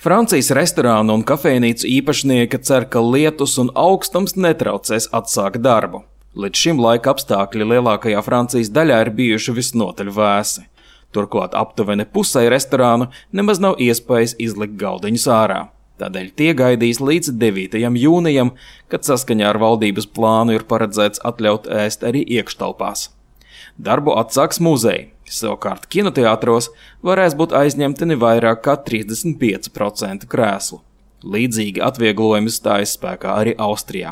Francijas restorānu un kafejnīcu īpašnieki cer, ka lietus un augstums netraucēs atsākt darbu. Līdz šim laika apstākļi lielākajā Francijas daļā ir bijuši visnotaļ vēsi. Turklāt aptuveni pusei restorānu nemaz nav iespējas izlikt galdiņus ārā. Tādēļ tie gaidīs līdz 9. jūnijam, kad saskaņā ar valdības plānu ir paredzēts atļaut ēst arī iekštelpās. Darbu atsāks muzeji, savukārt kinoteātros varēs būt aizņemti ne vairāk kā 35% krēslu. Līdzīgi atvieglojumi stājas spēkā arī Austrijā.